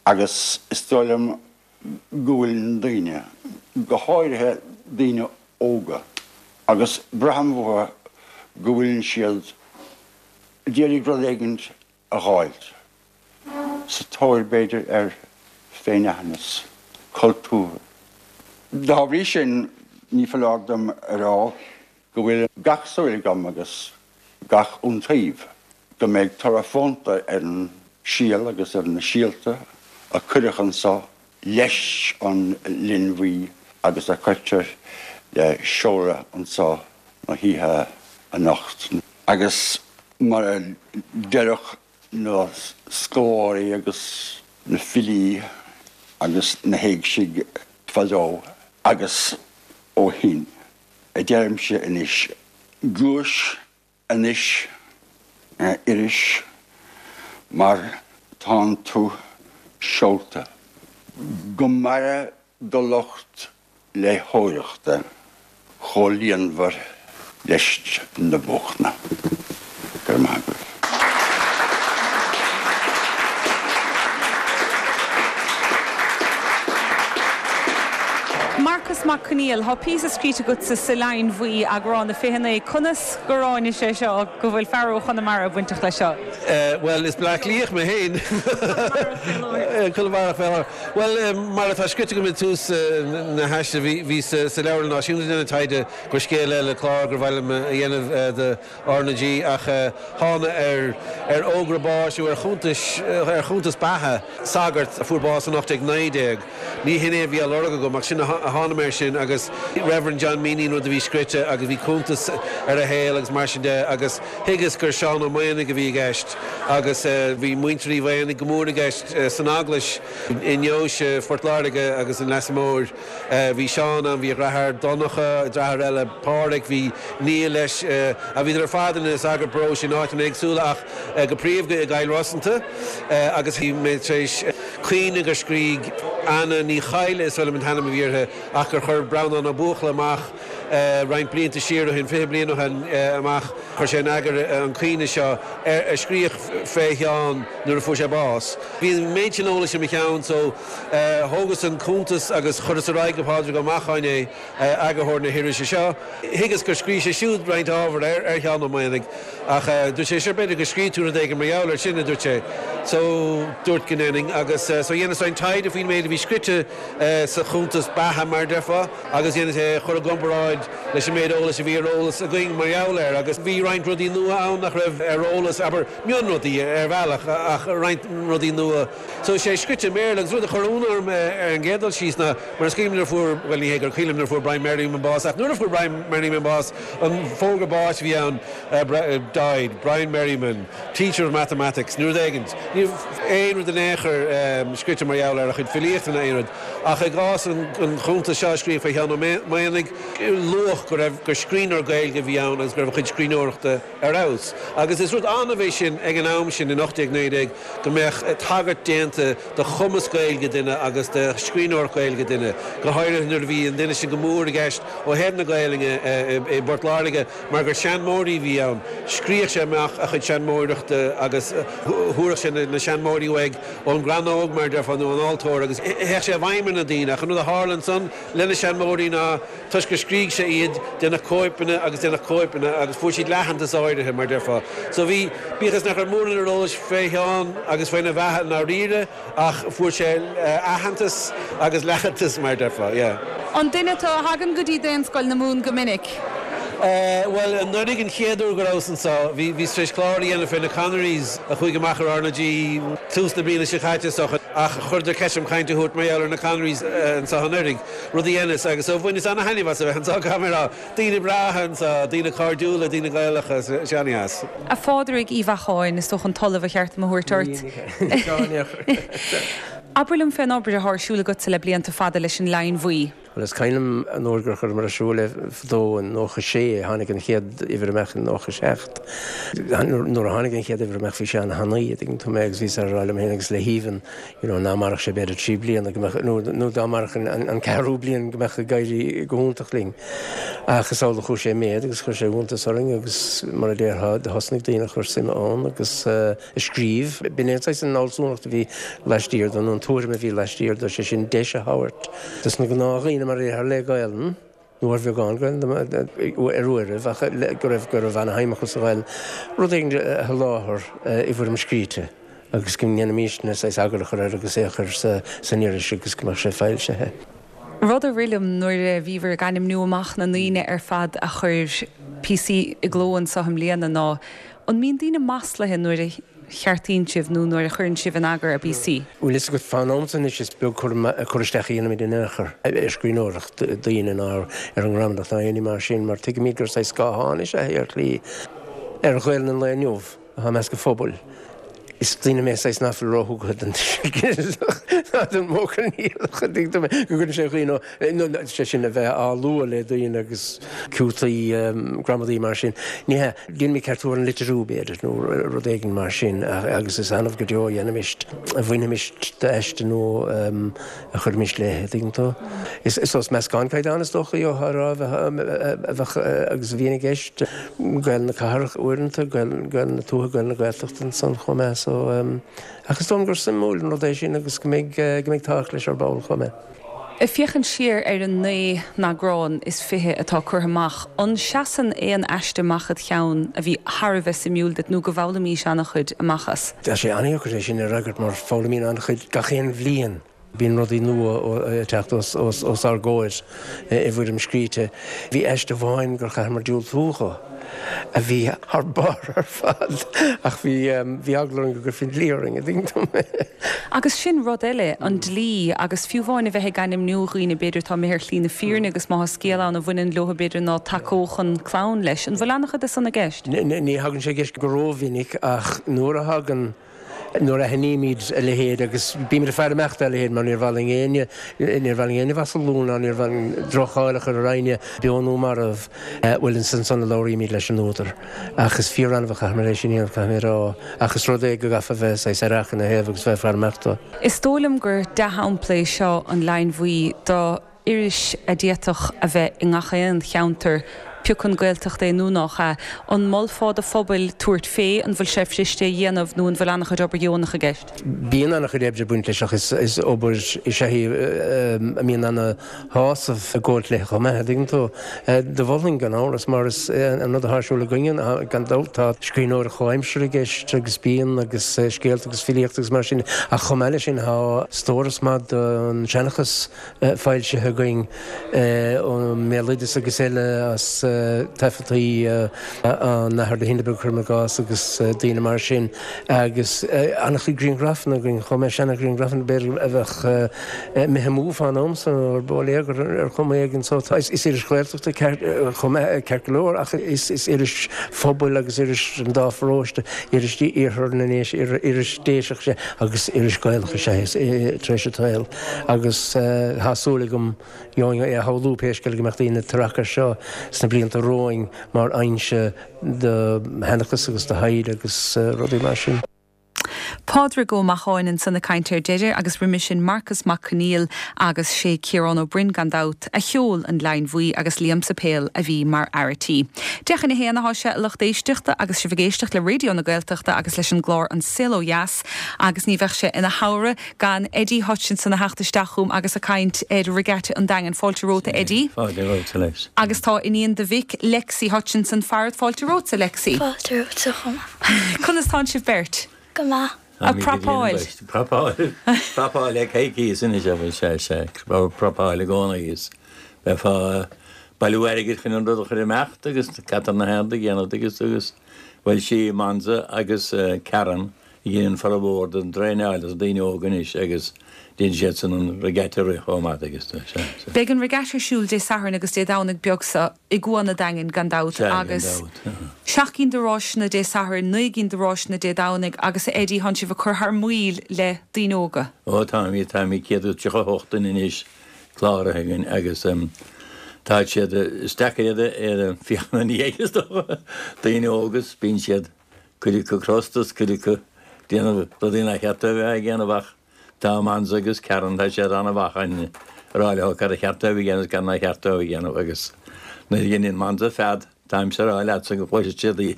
Agus is dóigh liom go bhfuil na daoine, go háirithe daoine óga, agus braithim uathu go bhfuil siad ag iarraidh rud éigin a dh'fháilt, sa tóir b'fhéidir ar féinaitheantas cultúrtha. Dá bhrí sin, ní foláir dom a rá go bhfuil gach súil agam agus gach iontaoibh go mbeidh toradh fónta ar an síol agus ar na síolta a cuireadh anso leis an Linn Bhuí agus a cuirtear le seoladh anso na hoíche anocht. Agus mar a déarfadh na scoláirí agus na filí agus na héigsigh fadó agus ó shin, a deirimse anois, gluais anois, a iris, mar tánn tú seolta. Go maire do lucht léitheoireachta chomh líonmhar leis na bóchna. Go raibh maith agaibh. Marcas Mac Conghail, Tá píosa scríte agatsa sa Leidhinn Bhuí, eagrán a fiche naoi. Conas gur tháinig sé seo go bhfuil fear ó Chonamara bainteach leis seo? Bhuel, is Bleá Cliathach mé féin. Conamarach fé láthair. Bhuel, mar atá scrite agam i dtús na haiste, bhíos sa Leabharlann Náisiúnta ag déanamh taighde do scéal eile, clár gur mhaith liom a dhéanamh do R na G ach thána ar ar fhógra báis nó ar chuntais ar chuntas beatha sagart a fuair bás in ocht déag naoi déag. Ní hin é a bhí á lorg agam ach sin a thána mé air sin agus Reverend John Meany an rud a bhí scrite agus bhí cuntas ar a shaol agus mar sin de agus thuigeas gur Seán Ó Maonaigh a bhí i gceist agus bhí muintir Uí Mhaonaigh go mór i gceist san Eaglais i ndeoise Phort Láirge agus an Leasa Móir. Bhí Seán ann, bhí a dhreatháir Donncha, dreatháir eile Pádraig, bhí nia leis, a bhíodar ar fad ina sagairt paróiste in áiteanna éagsúla ach go príomha i gCill Rosanta agus bhí mé tar éis cuimhneamh gur scrígh Anna Ní Chadhla, is dóigh liom an t-ainm a bhí uirthi, ach gur chuir Breandán Ó Buachalla amach roinnt blianta siar ó shin, fiche bliain ó shin amach, chuir sé in eagar an caoineadh seo a scríodh fé Sheán nuair a fuair sé bás. Bhí an méid sin eolais i mo cheann so thógas an cuntas agus chuireas ar aghaidh go Pádraig Ó Macháin é, eagarthóir na hirise seo. Thuigeas gur scrígh sé siúd roinnt ábhair ar Sheán Ó Maonaigh ach dúirt sé, sure b'fhéidir go scríobh tú rud éigin mar gheall air sin, a dúirt sé. So dúirt go ndéanfainn agus so dheineas roinnt taighde faoin méid a bhí scrite sa chuntas beatha mar a déarfá agus dheineas é a chur i gcomparáid leis an méid eolais a bhí ar eolas againn mar gheall air agus bhí roinnt rudaí nua ann nach raibh ar eolas, abair, mionrudaí ar bhealach ach roinnt rudaí nua. So sé scrite i mBéarla agus rud a chuir ionadh orm ar an gcéad dul síos ná mar is cuimhin liom nuair a fuair, bhuel ní hé gur cuimhin liom nuair a fuair Brian Merriman bás ach nuair a fuair Brian Merriman bás an fógra báis a bhí ann died, Brian Merriman, teacher of mathematics nó rud éigin. Ní raibh aon rud in aon chor scrite mar gheall ar a chuid filíochta ná aon rud ach i gcás an chuntais seo a scríobhadh faoi Sheán Ó Maonaigh luadh go raibh, gur scríbhneoir Gaeilge a bhí ann agus go raibh a chuid scríbhneoireachta ar fheabhas. Agus is rud annamh é sin ag an am sin in ocht déag naoi déag go mbeadh tagairt déanta do chumas Gaeilge duine agus do scríbhneoireacht Ghaeilge duine, go háirithe nuair a bhí an duine sin go mór i gceist ó thaobh na Gaelainne i bPort Láirge mar gur seanmóirí a bhí ann. Scríobhadh sé amach a chuid seanmóireachta agus thabharfadh sé na seanmóirí uaidh ón gcrannóg, mar a déarfá, nó ón altóir agus théadh sé i bhfeidhm ar na daoine. Ach an rud a tharla ansan lena seanmóirí ná toisc gur scrígh sé iad, déanadh cóipeanna agus déanadh cóipeanna agus fuair siad leathantas áirithe, mar déarfá. So bhí, bíodh is nach raibh mórán ar eolas fé Sheán agus faoina bheatha i ndáiríre, ach fuair sé aitheantas agus leathantas, mar déarfá, yeah. An duine tú a thagann go dtí Daonscoil na Mumhan go minic? Bhuel, anuraidh an chéad uair go rabhas anseo, bhí, bhíos tar éis clár a dhéanamh fé na Connerys a chuaigh amach ar R na G tús na bliana seo caite is dócha, ach chuireadar ceist orm caint a thabhairt mar gheall ar na Connerys anseo anuraidh, rud a dheineas, agus so bhaineas ana-thaitneamh as a bheith anseo, caithfidh mé a rá. Daoine breátha anseo, daoine cairdiúla, daoine Gaelacha, sé an-dheas. A Phádraig Uí Bheacháin, is dócha an tOllamh ba cheart dom a thabhairt ort. Abair liom fén obair atá ar siúl agatsa le blianta fada leis an Leidhinn Bhuí. Bhuel, is cuimhin liom an uair gur chuireamar ar siúl é fadó in nócha sé, tháinig an chéad uimhir amach in nócha seacht. Nuair a tháinig an chéad uimhir amach bhí sé an-thanaí, a dtuigeann tú mé, agus bhíos á rá liom féin agus le hAoibhinn, you know, ná mairfeadh sé b'fhéidir trí bliana go mbeadh, nó, nó dá mairfeadh an, an ceathrú bliain go mbeadh ag éirí go hiontach linn. Ach is amhlaidh a chuaigh sé i méad agus chuir sé iontas orainn agus mar a déarfá, do thosnaigh daoine a chur suime ann agus eh, a scríobh. B'in é an saghas an fhealsúnacht a bhí laistiar de, nó an tuairim a bhí laistiar de, sé sin deis a thabhairt dos na gnáthdhaoine mar a déarfá le Gaelainn, nó ar bheagán Gaelainn ar uairibh, ach go raibh go raibh ana-shuim acu sa Ghaelainn, rud éigin a sholáthar i bhfoirm scríte agus go ndéanfaimisne saghas eagar a chur air agus é a chur san iris agus go mbeadh sé foilsithe. Rud a rith liom nuair a bhíobhair ag ainmniú amach na ndaoine ar fad a chuir píosaí i gcló anseo i mbliana ná an mbíonn daoine maslaithe nuair a cheartaíonn sibh nó nuair a chuireann sibh in eagar a bpíosaí? Bhfuil fhios agat, fán am san anois is beag cur isteach a dhéanaimid in aon chor ar scríbhneoireacht daoine ná ar an ngramadach ná aon ní mar sin mar tuigimid gur saghas scáthán is ea é ar shlí ar Ghaelainn an lae inniu atá i measc an phobail. Is duine mé saghas ná fuil róthugtha don tuiseal ná don mhodh coinníollach, an dtuigeann tú mé, go gcuireann sé dhaoine ó, sé sin a bheith á lua le daoine agus ciútaí gramadaí mar sin. Ní hea, déanaimid ceartú ar an litriú, b'fhéidir, nó rud éigin mar sin agus is annamh go deo a dhéanaimis, a bhainfimis d'aiste nó a chuirfimis léi, an dtuigeann tú. Is is meascán caighdeán is dócha a rá a bheadh agus a bhíonn i gceist, Gaelainn na cathrach uaireanta, Gaelainn na tuaithe, Gaelainn na Gaeltachta ansan chomh maith so ach is dóigh liom gur suimiúil an rud é sin agus go mbeidh go mbeidh tábhacht leis ar ball chomh maith. Ag féachaint siar ar an naoi n-eagrán is fiche atá curtha amach, an seasann aon aiste amach id cheann a bhí thar a bheith suimiúil duit nó go bhfoghlaimís an-chuid amach as? Tá sé an-dheacair é sin a fhreagairt mar foghlaimíonn an-chuid gach aon bhliain. Bíonn rudaí nua ag teacht os ár gcomhair i bhfoirm scríte. Bhí aiste amháin gur chaitheamar diúltú dho a bhí thar barr ar fad ach bhí bhí eagla orainn go gcuirfí an dlí orainn, an dtuigeann tú mé. Agus sin rud eile, an dlí, agus fiú amháin a bheith ag ainmniú dhaoine b'fhéidir atá imithe ar shlí na fírinne agus má tá scéal ann a bhaineann leo b'fhéidir ná tacódh an chlann leis. An bhfuil an-chuid de san i gceist? Ní thagann sé i gceist go rómhinic ach nuair a thagann, nuair a aithnímid a leithéid, agus bímid ag faire amach dá leithéid mar níor mhaith linn éinne, níor mhaith linn éinne a mhaslú ná níor mhaith linn droch-cháil a chur ar éinne, beo nó marbh, bhuel is ansan a labhraímid leis an údar. Ach is fíor-annamh a chaithfimid é sin a dhéanamh, caithfidh mé a rá. Ach is rud é go gcaithfeá a bheith saghas aireach ina thaobh agus bheith ag faire amach dó. Is dóigh liom gur dea-shampla é seo an Leann Bhuí do iris a d'fhéadfadh a bheith i ngach aon cheantar, pé acu an Gaeltacht é nó nach ea. An molfá do phobail tabhairt fé? An bhfuil sé fuiriste a dhéanamh nó an bhfuil an-chuid obair dheonach i gceist? Bíonn an-chuid oibre ag baint leis ach is obair is ea í a mbíonn ana-shásamh ag gabháilt léi chomh maith, an dtuigeann tú. Do mholfainn gan amhras mar is an rud atá ar siúl againne, gan dabht, tá scríbhneoireacht chomhaimseartha i gceist agus bíonn agus scéalta agus filíocht agus mar sin ach chomh maith leis sin tá stóras maith den seanchas foilsithe againn ón mbéaloideas agus eile as taifeadtaí an Athar de hÍde beag, cuirim i gcás, agus daoine mar sin agus an-chuid grianghrafanna againn chomh maith, seana-ghrianghrafanna b'fhéidir a bheadh imithe amú fán am san nó ar bóiléagar ar chuma éigin. So tá, is iris Ghaeltachta chomh maith, ceart go leor, ach is iris phobail agus iris an dá pharóiste, iris iarthar na nDéise, iris Déiseach is ea agus iris Ghaelach is ea é tar éis an tsaoil. Agus tá súil agam, gheobhainn é a shamhlú pé scéal é, go mbeadh daoine ag tarrac air seo sna blianta romhainn mar fhoinse do sheanchas agus do thaighde agus rudaí mar sin. Pádraig Ó Macháin ansan ag caint ar deireadh agus roimhe sin Marcas Mac Conghail agus sé Ciarán Ó Broin gan dabht a sheol an Leann Bhuí agus Liam Suipéil a bhí mar fhear a tí. Deich chun a haon atá sé a lucht éisteachta agus sibh ag éisteacht le Raidió na Gaeltachta agus leis an gclár An Saol Ó Dheas agus ní bheadh sé ina shamhradh gan Eddie Hutchinson a theacht isteach chugam agus ag caint ar Regatta an Daingin. Fáilte romhat a Eddie. Fáilte romhat a Lex. Agus tá iníon do mhic, Lexi Hutchinson, farat. Fáilte romhatsa Lexi. Fáilte romhatsa chomh maith. Conas tánn sibh beirt? Go maith. Ag prapáil. Prapáil. Prapáil le coicíos anois a bhfuil sé, sé. Prapáil i gcónaí is bheifeá ag bailiú airgid chun an rud a chur imeacht agus Cathair na hArd ag déanamh agus agus bhuel sí Monza agus Karen a dhéanann formhór den traenáil dos na daoine óga anois agus déanann siadsan an regatta a rith chomh maith agus tá sé. Beidh an regatta ar siúl Dé Sathairn agus Dé Domhnaigh beag seo i gCuan a' Daingin gan dabht Sea, gan agus dabht. seacht gcinn de ráiseanna Dé Sathairn, naoi gcinn de ráiseanna Dé Domhnaigh agus a Eddie thánn sibh ag cur thar maoil le daoine óga. Ó táimid, táimid céad is tríocha a hocht duine anois cláraithe againn agus tá siad, is deacair iad a féachaint ina dhiaidh is dócha, daoine óga is bíonn siad cuid acu crosta is cuid acu ag déanamh rudaí nár cheart dóibh a bheith ag déanamh ach tá Amanza agus Karen, tá siad an-mhaith chun a rá leo cad a cheart dóibh a dhéanamh is cad nár cheart dóibh a dhéanamh agus nuair a dheineann Amanza fead, táimse a rá leatsa go gcloisfidh siad í.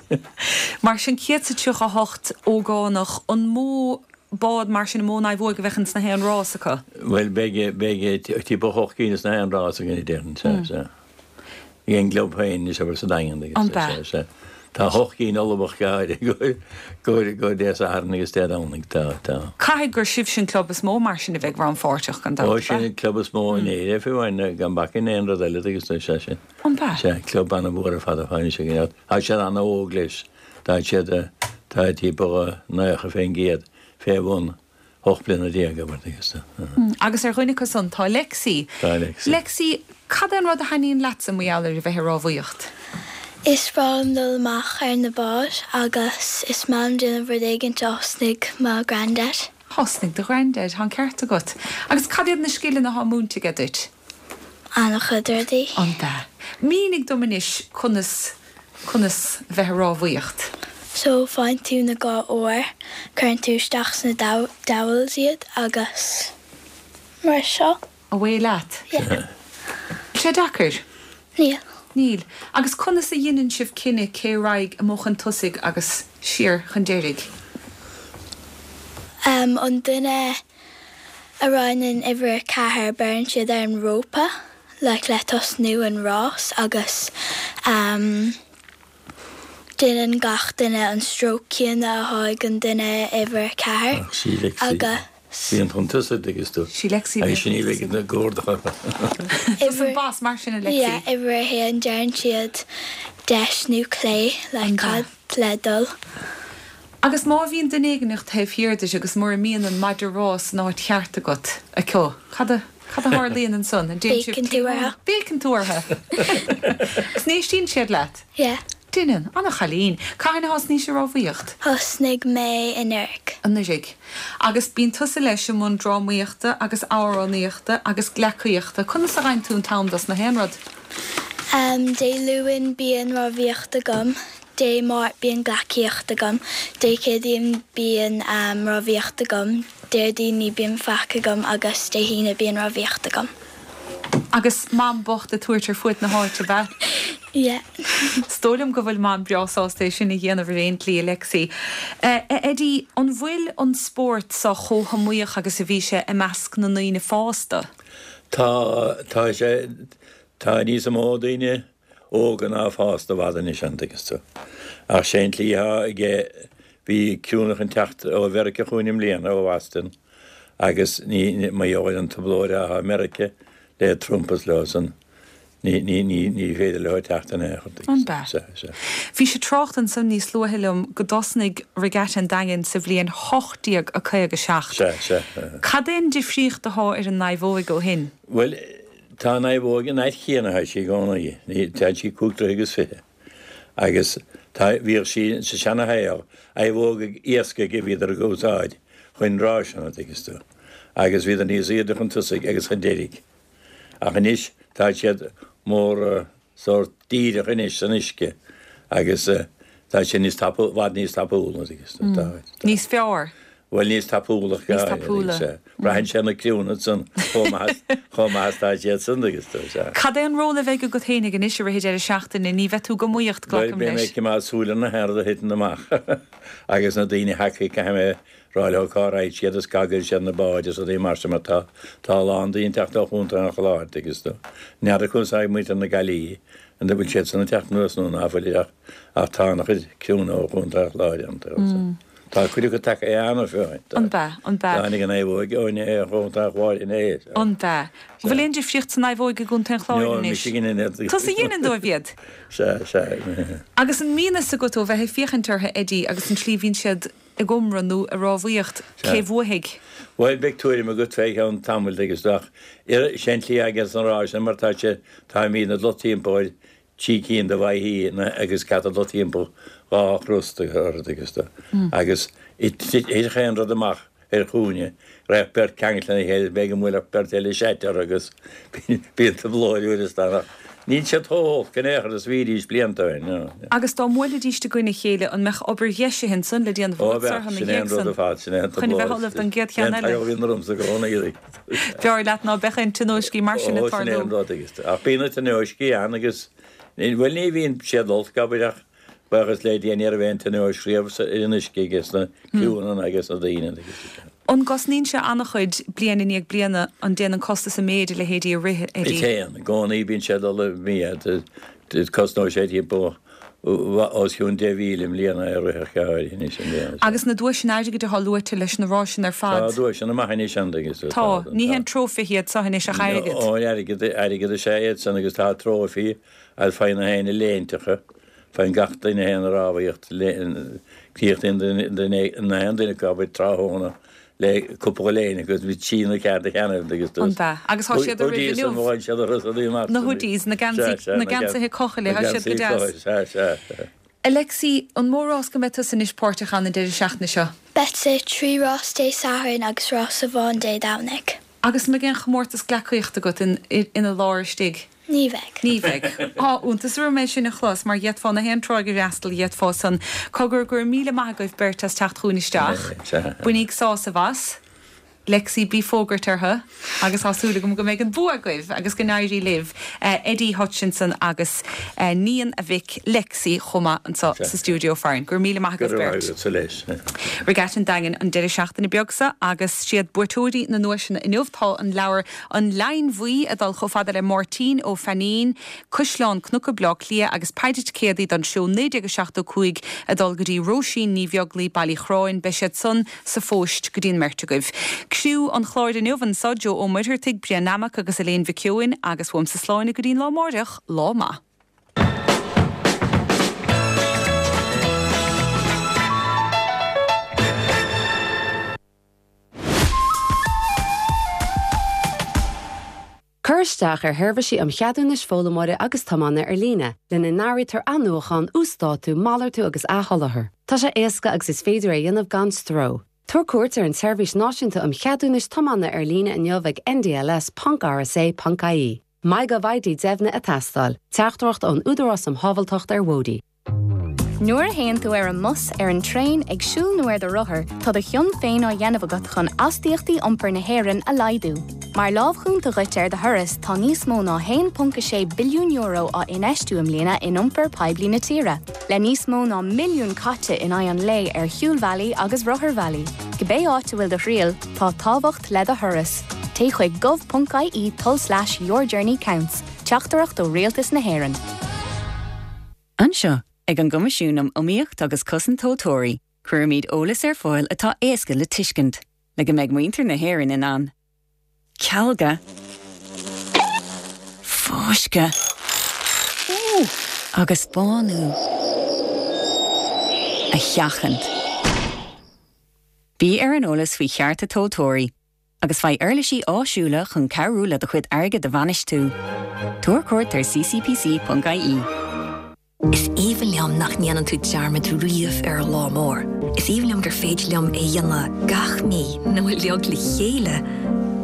Mar sin céad is tríocha a hocht ógánach, an mó bád mar sin, an mó naomhóig a bheadh ins na haon rás acu? Bhuel, beidh, beidh timpeall ocht gcinn ins na haon rás againn, a déarfainn, sea, sea. Ag an gclub féin, anois, abair, sa Daingean, agus, An b'ea? sea, sea. Tá ocht gcinn ullmhaithe go háirithe i gcomhair, i gcomhair Dé Sathairn agus Dé Domhnaigh, tá, tá. Caithfidh gur sibhse an club is mó mar sin a bheidh rannpháirteach, gan dabht, Ó, ab sin ea? an club is mó in Éirinn, fiú amháin, gan bac in aon rud eile, agus, sea, sin. An b'ea? Sea, club an-mhór ar fad atá anois againn. Tá siad an-óg leis. Tá siad, tá timpeall naocha fén gcéad fé bhun ocht mbliana déag, abair, agus. Agus ar dhuine acu san tá Lexi. Tá Lexi. Lexi, cad é an rud a thaitníonn leatsa mar gheall ar a bheith ag rámhaíocht? Is breá liom dul amach ar na báid agus is maith liom déanamh rud éigin a thosnaigh mo granddad. Thosnaigh do granddad, tá an ceart agat. Agus cad iad na scileanna atá múinte aige duit? An-chuid rudaí. An b'ea? Mínigh dom anois conas, conas bheith ag rámhaíocht. So faigheann tú na dhá ór, cuireann tú isteach sna dowels iad agus mar seo. Away leat? Yeah. Bhfuil sé deacair? Níl. Níl. Agus conas a dhéanann sibh cinneadh cé a raghaidh amuigh chun tosaigh agus siar chun deiridh? Um, an duine a roinneann uimhir a ceathair beireann siad ar an rópa like le tosnú an rás agus um, déanann gach duine an stroke céanna atá ag an duine uimhir a ceathair Ach sí Lexi. agus Bíonn chun tosaigh agus tú. Sí Lexi Agus sin í bheidh na gcordacha. Tusa an boss mar sin a Lexi. Yeah, uimhir a haon deireann siad deis nó clé le An cad le dul. Agus má bhíonn duine éigin taobh thiar duit agus mura mbíonn an maide ráis san áit cheart agat acu, cad a cad a tharlaíonn ansan? An déanann sibh Béiceann tú orthu. Béiceann tú orthu. Agus n-éistíonn siad leat? Yeah. Déanann, ana-chailín. Cathain a thosnaís ag rámhaíocht? Thosnaigh mé anuraidh. Anuraidh. Agus bíonn tusa leis i mbun drámaíochta agus amhránaíochta agus gleacaíochta. Conas a fhaigheann tú an t-am dos na haon rud? Um, Dé Luain bíonn rámhaíocht agam, Dé Máirt bíonn gleacaíocht agam, Dé Céadaoin bíonn um, rámhaíocht agam, Déardaoin ní bíonn faic agam agus Dé hAoine bíonn rámhaíocht agam. Agus mam bocht ag tabhairt ar fuaid na háite bheith? Yeah. Is dóigh liom go bhfuil mam breá sásta é sin a dhéanamh ar aon tslí, Lexi. Uh, Eddie, an bhfuil an spórt seo chomh hiomaíoch agus a bhí sé i measc na ndaoine fásta? Tá tá sé tá níos mó daoine óga ná fásta i bhfad anois an dtuigeann tú. Ach sé an tslí atá aige bhí criúnna chun teacht ó Mheiriceá chugainn i mbliana ó Boston agus ní mar gheall ar an trioblóid atá i Meiriceá le Trump is leo san ní ní ní ní féidir leo teacht in aon chor. An b'ea? Sea, sea. Bhí sé trácht ansan níos luaithe liom go dtosnaigh Regatta an Daingin sa bhliain hocht déag a caoga seacht. Sea, sea. Cad é an difríocht atá ar an naomhóig ó shin? Bhuel, tá an naomhóg an áit chéanna tá sí i gcónaí. Ní tá sí cúig troigh agus fiche. Agus tá bhíodh sí sa seanashaol, naomhóg iascaigh a bhíodar ag úsáid chun ráiseanna, tuigeann tú. Agus bhíodar níos airde chun tosaigh agus chun deiridh. Ach anois tá siad mór sórt díreach anois san uisce agus tá siad níos tapú, bhfad níos tapúla, tuigeann tú. Tá, tá. Níos fearr? Bhuel níos tapúla Níos tapúla. Braitheann sé na criúnna san chomh maith chomh maith is tá siad san agus tú, sea. Cad é an ról a bheidh agat féinig anois i rith an deireadh seachtaine? Ní bheidh tú ag iomaíocht, Bhuel, glacaim beidh mé leis. ag coimeád súil ar na haon rud a thiteann amach agus na daoine thacaí caithfidh mé rá leo cá raghaidh siad is cá gcuirfidh siad na báid is rudaí mar sin mar tá tá a lán daoine ag teacht ó Chontae an Chláir agus tú. N'fheadar conas atá ag muintir na Gaillimhe an bhfuil siad san ag teacht anuas nó ná fuil ach ach tá an-chuid criúnna ó Chontae an Chláir ann. Tá cuid acu tagtha cheana féin. An b'ea, an b'ea. Tháinig an naomhóg ó Chontae an Chláir inné. An b'ea. Bhfuil aon difríocht san naomhóig i gContae an Chláir No, anois? mise a dhéanann iad. Tusa a dhéanann dóibh iad? Sea, sea. Agus an mbíonn fhios agat ó bheith ag féachaint orthu, Eddie, agus an tslí a bhíonn siad ag iomramh nó ag rámhaíocht, cé bhuafaidh? Bhuel, beidh tuairim agat fé cheann tamaill agus ach sé an tslí aige san rás sin mar tá sé táimidne ag dul timpeall ar trí cinn de bhaichí agus caithfidh dul timpeall dhá chros orthu agus tú. Agus thit aon rud amach ar chúinne, raibh beirt ceangailte lena chéile, b'fhéidir go mbuailfeadh beirt eile seait orthu agus bíonn trioblóid uair is dá ach níl siad chomh holc in aon chor is a bhídís blianta ó shin, no. Agus dá mbuailfidís i gcoinne a chéile, an mbeadh obair dheisithe ansan le déanamh Ó agat bheadh, orthu ina sin é an dhiaidh rud san ar fad, sin é an chun a bheith trioblóid, ullamh don gcéad sin é cheann an eile? t-eagal a bhíonn ormsa i gcónaí. B'fhearr leat ná beadh aon tionóiscí mar sin ag Ó, sin é tarlú. an rud agus, ach bíonn na tionóiscí ann agus, bhuel ní bhíonn siad olc, abair, ach Buíochas le Dia ní raibh aon tionóisc riamh ar an uisce ages na criúnna agus na daoine agus. An gcosnaíonn sé an-chuid bliain i ndiaidh bliana, an dtéann an costas i méid a leithéidí a rith, Eddie? Téann, i gcónaí bíonn sé ag dul i méid. Cosnóidh sé timpeall os cionn deich mhíle i mbliana é a rith ar cheann áirithe anois i mbliana. Agus na duaiseanna airgid atá luaite leis na ráiseanna ar Tá fad? duaiseanna maithe anois ann agus Tá, ní haon trófaithe iad seo anois ach airgead. Ó, airgead, airgead is ea iad san agus tá trófaí agus faigheann na héinne léinteacha. Faigheann gach duine a théann ag rámhaíocht críochnaíonn duine na haon duine acu abair tráthnóna le cúpla léine agus bhí trí nó ceathair de cheannaibh agus An bea? Agus tá siad roimh inniu. Bhain siad a rudaí amach. Na hoodies, na geansaí, na geansaithe cochaill, tá siad go deas. Sea, sea, sea. Alexi, an mó rás go mbeidh tusa anois páirteach ann an deireadh seachtaine seo? Beidh trí rás Dé Sathairn agus rás amháin Dé Domhnaigh. Agus an mbeidh aon chomórtas gleacaíochta agat ina lár istigh? Ní bheidh. Ní bheidh. Tá iontas orm é sin a chlos, mar d'fhéadfá na haon tráigh a fhreastal, d'fhéadfá san. Cogar, go raibh míle maith agaibh beirt as teacht chugainn isteach. Bainíg sásamh as. Lexi, bí fógairt orthu agus tá súil agam go mbeidh an bua agaibh agus go n-éirí libh. Eddie Hutchinson agus níon a mhic Lexi chomh maith anseo sa stiúideo farainn. Go raibh míle maith agaibh beirt. Regatta an Daingin an deireadh seachtaine beag seo agus siad buaiteoirí na nduaiseanna inniu tá an leabhar An Leidhinn Bhuí ag dul chomh fada le Máirtín Ó Fainín, Caisleán Cnuca Bleá Cliath agus Paddy Céadaí don seó naoi déag a seachtó cúig ag dul go dtí Róisín Ní Bheaglaoi, Baile Chráin. Beidh siad san sa phost go dtí an mbeirt agaibh. Criú an chláir inniu anseo Joe Ó Muircheartaigh, Brian Nammock agus Elaine Mhic Eoin agus uaimse Sláine go dtí an lá amárach, lá maith. Cuir isteach ar sheirbhísí um cheadúnais foghlaimeora agus tiomána ar líne, lena n-áirítear athnuachan, uasdátú, malartú agus athsholáthar. Tá sé éasca agus is féidir é a dhéanamh gan stró. Tabhair cuairt ar an tSeirbhís Náisiúnta um Cheadúnais Tiomána ar líne inniu ag ndls ponc rsa ponc ie. MyGovID deimhnithe ag teastáil. Teachtaireacht ón Údarás um Shábháilteacht ar Bhóithre. Nuair a théann tú ar an mbus, ar an traein, ag siúl nó ar do rothar, tá do chion féin á dhéanamh agat chun astaíochtaí iompair na hÉireann a laghdú. Mar lámh chúnta dhuit ar do thuras, tá níos mó ná haon ponc a sé billiún euro á infheistiú i mbliana in iompar poiblí na tíre, le níos mó ná milliún caite in aghaidh an lae ar shiúlbhealaí agus rotharbhealaí. Cibé áit a bhfuil do thriall, tá tábhacht le do thuras. Téigh chuig gov.ie tulslais yourjourneycounts, teachtaireacht ó Rialtas na hÉireann. Anseo, ag an gCoimisiún um Iomaíocht agus Cosaint Tomhaltóirí, cuirimid eolas ar fáil atá éasca le tuiscint, le go mbeidh muintir na hÉireann in ann cealga, fáisceadh agus bánú a sheachaint. Bí ar an eolas faoi chearta tomhaltóirí, agus faigh uirlisí áisiúla chun cabhrú le do chuid airgid a bhainistiú. Tabhair cuairt ar ccpc.ie. Is aoibhinn liom nach ndéanann tú dearmad riamh ar an lá mór. Is aoibhinn liom gur féidir liom é a dhéanamh gach mí nó uilig le chéile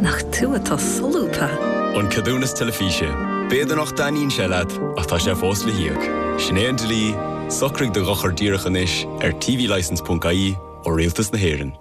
nach tú atá solúbtha. An ceadúnas teilifíse. B'fhéidir nach dtaitníonn sé leat ach tá sé fós le híoc. Sin é an dlí, socraigh do dhochar díreach anois ar tvlicence.ie ó Rialtas na hÉireann.